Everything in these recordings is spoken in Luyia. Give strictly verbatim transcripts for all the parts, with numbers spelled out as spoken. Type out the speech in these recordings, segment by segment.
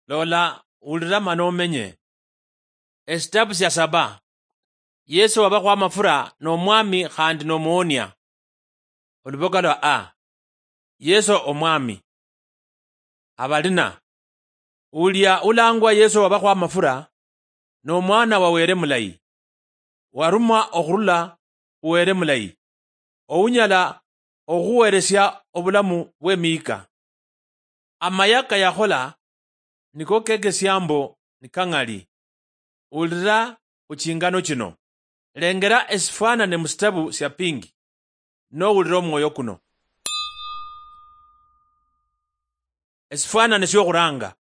Lola, wulira mana omenye. Esitabu sya saba. Yesu wabakhwa amafura n'omwami khandi n'omuwonia. Oluboka lwa a. Yesu omwami. Abalina. Ulia ulangwa Yesu wabakhwa amafura, n'omwana wa Were mulayi, warumwa okhurula khu Were mulayi, ounyala okhuhuweresia obulamu bw'emiyika. Amaya kayakhola niko kekesia mbo nikang'ali. Ulira khu chingano chino. Lengera esifwanane musitabu sia pingi, nowulira omwoyo kuno. Esifwanane siokhuranga.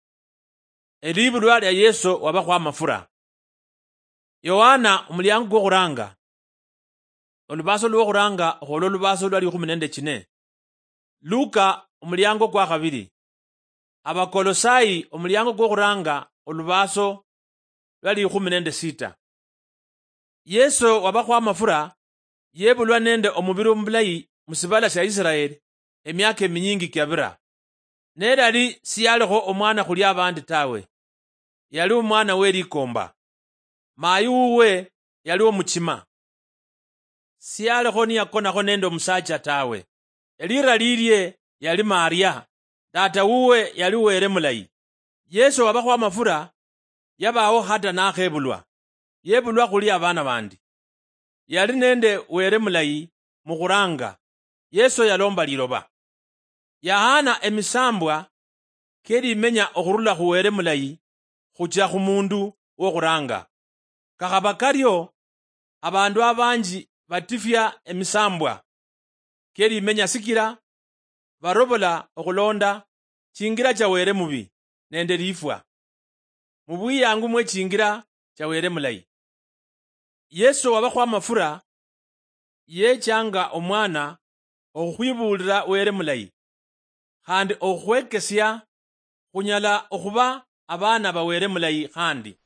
Elibulwa lia Yesu wabakhwa amafura. Yohana, omuliango kwokhuranga. Olubaso lwokhuranga khwolwo olubaso lwa likhumi nende chine. Luka, omuliango kwa khabili. Abakolosai, omuliango kwokhuranga, olubaso lwa likhumi nende sita. Yesu wabakhwa amafura yebulwa nende omubiri omulayi musibala sia Israeli emiaka eminyingi kiabira. Nelali siyaliho omwana khuli abandi tawe. Yali omwana we likomba. Mayi wuwe yali omuchima. Siyaliho niyakonakho nende omusacha tawe. Elira lilie yali Maria, tata wuwe yali Were mulayi. Yesu wabakhwa amafura, yabawo hata nakhebulwa, yebulwa khuli abana bandi. Yali nende Were mulayi mukhuranga. Yesu yalomba liloba. Yahana emisambwa kelimenya okhurula khu Were mulayi khucha khu mundu wokhuranga. Kakhaba kario, abandu abanji batifia emisambwa kelimenya sikila barobola okhulonda chingira cha Were mubi nende lifwa, mubwiyangu mwe chingira cha Were mulayi. Yesu wabakhwa amafura yechanga omwana okhukhwibulira Were mulayi, khandi okhukhwekesia khunyala okhuba abaana ba Were mulayi khandi.